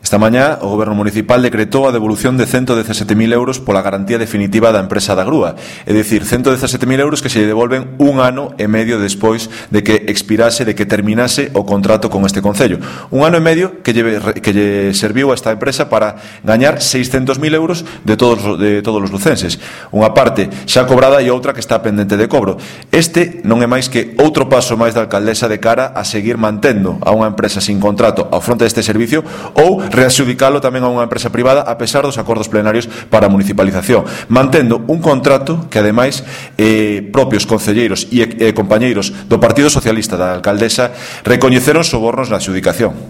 Esta mañá, o Goberno Municipal decretou a devolución de 117.000 euros pola garantía definitiva da empresa da grúa. É dicir, 117.000 euros que se lle devolven 1 ano e medio despois de que expirase, de que terminase o contrato con este concello. 1 ano e medio que lle serviu a esta empresa para gañar 600.000 euros de todos os lucenses. Unha parte xa cobrada e outra que está pendente de cobro. Este non é máis que outro paso máis da alcaldesa de cara a seguir mantendo a unha empresa sin contrato ao fronte deste servicio ou readxudicalo tamén a unha empresa privada a pesar dos acordos plenarios para a municipalización, mantendo un contrato que ademais propios concelleiros e compañeiros do Partido Socialista da alcaldesa recoñeceron sobornos na adxudicación.